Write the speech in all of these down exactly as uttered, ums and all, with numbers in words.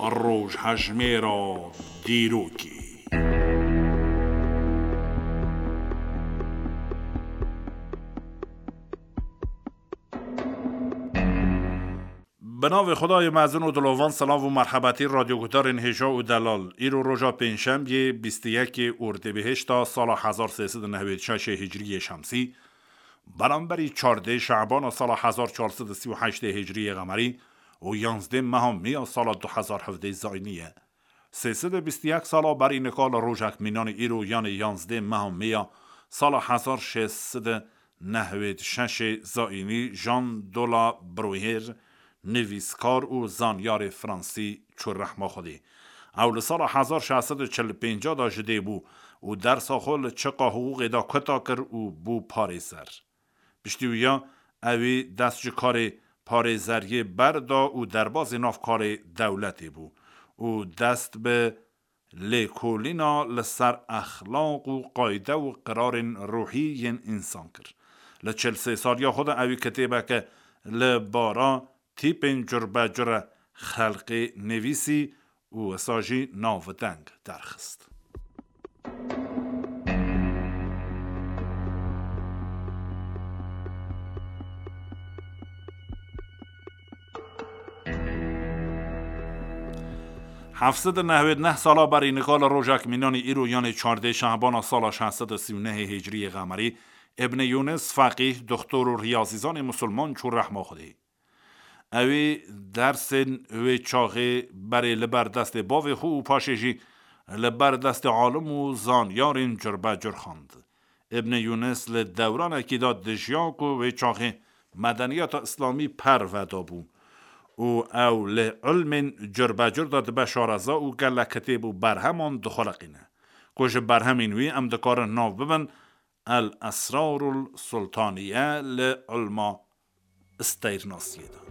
Rojhejmêra dîrokê. Bi navê Xwedayê mezin û dilovan, silav û merhebetî radyoguhdarên hêja û delal. Îro roja pêncşembiyê, bîst û yekê Ordibihişta sala hezar sê sed û nehwêd şeşê Hicriyê Şemsî, beramberî çardê Şebana sala hezar çar sed û sî û heştê Hicriyê Qemerî û yanzdê meha Mîya sala du hezar hevdeh Zayînî ye. Sê sed û bîst û yek sala berî nika li rojek mînanî îro, yanê yanzdê meha Mîya sala hezar şêst sed û nehwêd şeşê Zayînî, Jean de la Bruyère, nivîskar û zanyarê fransî çû rehma Xwedê. Ew li sala hezar şeş sed û çil û pênc de ji dê bû û dersa xwe li çiqa hiqûqê de kuta kir û bû parêzer. Piştî wiya ewî dest ji karê parêzeriyê berda û derbazê nav karê dewletê bû û dest bi lêkolîna li ser exlaq û qayde û qirarên ruhî yên însan kir. Li çil sê saliya xwe de ewî kitêbeke li bara tîpên curbecure xelqê nivîsî û wisa jî navdeng derxist. Heft sed û nehwêd neh sala berî nika li rojek mînanî îro, yanê çardê Şehbana sala şeş sed û sî û nehê Hicriyê Qemerî, Îbnê Yûnis, feqîh, doktor û riyazîzanê musulman çû rehma Xwedê. Ewî dersên wê çaxê berê li ber destê bavê xwe û paşê jî li ber destê alim û zanyarên curbecur xwend. Îbnê Yûnis li dewranekî de dijiya ku wê çaxê medeniyeta îslamî perve dabû û ew li ilmên curbecur de dibe şareza û gelek kitêb û berheman dixuliqîne, ku ji berhemên wî em dikarin nav bibin El Esrarul Sultaniye li ilma steyrnasiyê de.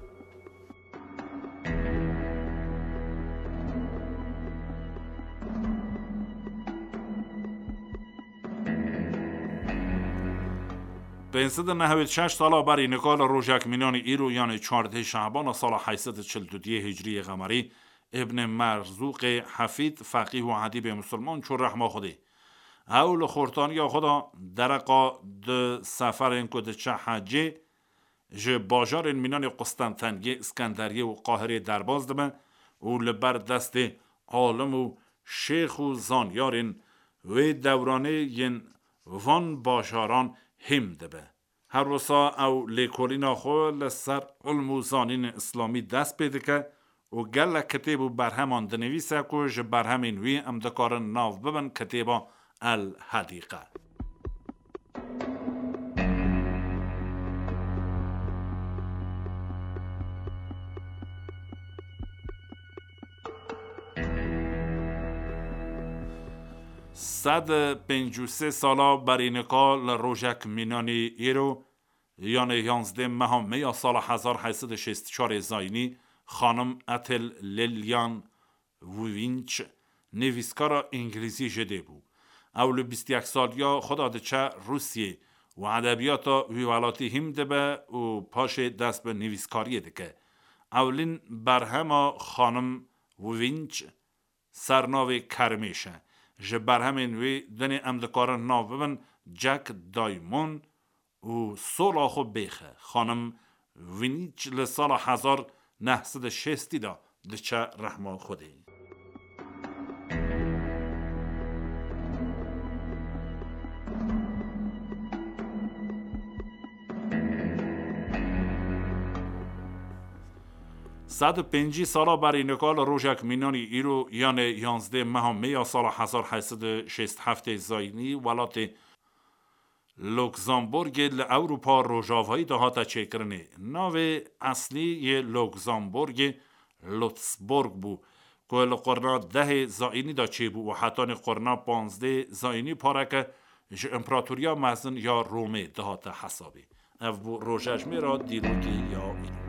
Pênc sed û nehwêd şeş sala berî nika li rojek mînanî îro, yanê çardeh Şehbana sala heyt sed û çil û duyê Hicriyê Qemerî, Îbnê Merzûqê Hefîd, feqîh û edîbê musulman çû rehma Xwedê. Ew li xortaniya xwe de dereqa di seferên ku diçe hecê, ji bajarên mînanê Qustenteniyê, Îskenderiyê û Qahirê derbas dibe û li ber destê alim û şêx û zanyarên wê dewranê yên van bajaran hîm dibe. Her wisa ew lêkolîna xwe li ser ilm û zanînên îslamî dest pê dike û gelek kitêb û berheman dinivîse ku ji berhemên wî em dikarin nav bibin kitêba El Hedîqe. Sed û pêncî û sê sala berî nika li rojek mînanî îro, yanê yanzdeh meha Mê ya sala hezar heyt sed û şêst û çar zayînî, xanim Ethel Lillian Winch, nivîskara îngilîzî ji dê bû. Ew li bîst û yek saliya xwe de diçe Rûsiyê û edebiyata wî welatî hîm dibe û paşê dest bi nivîskariyê dike. Ewlîn berhema xanim Winch sernavê Kermêş e. Ji berhemên wê dinê em dikarin nav bibin Jack Diamond û Sola xwe bêxe. Xanim Winch li sala hezar neh sed û şêstî de diçe rehma Xwedê. Sed û pêncî sala berî nika li rojek mînanî îro, yanê yanzdeh meha Mê ya sala hezar heyt sed û şêst û heftê zayînî, welatê Luxemburgê li Ewropa Rojavayî de hate çêkirinê. Navê eslî yê Luxemburgê Lutzburg bû, ku li qurna dehê zayînî de çêbû û hetanî qurna panzdê zayînî pareke ji împeratoriya mezin ya Romê dihate hesabê. Ev bû rojejmêra dîrokê ya îro.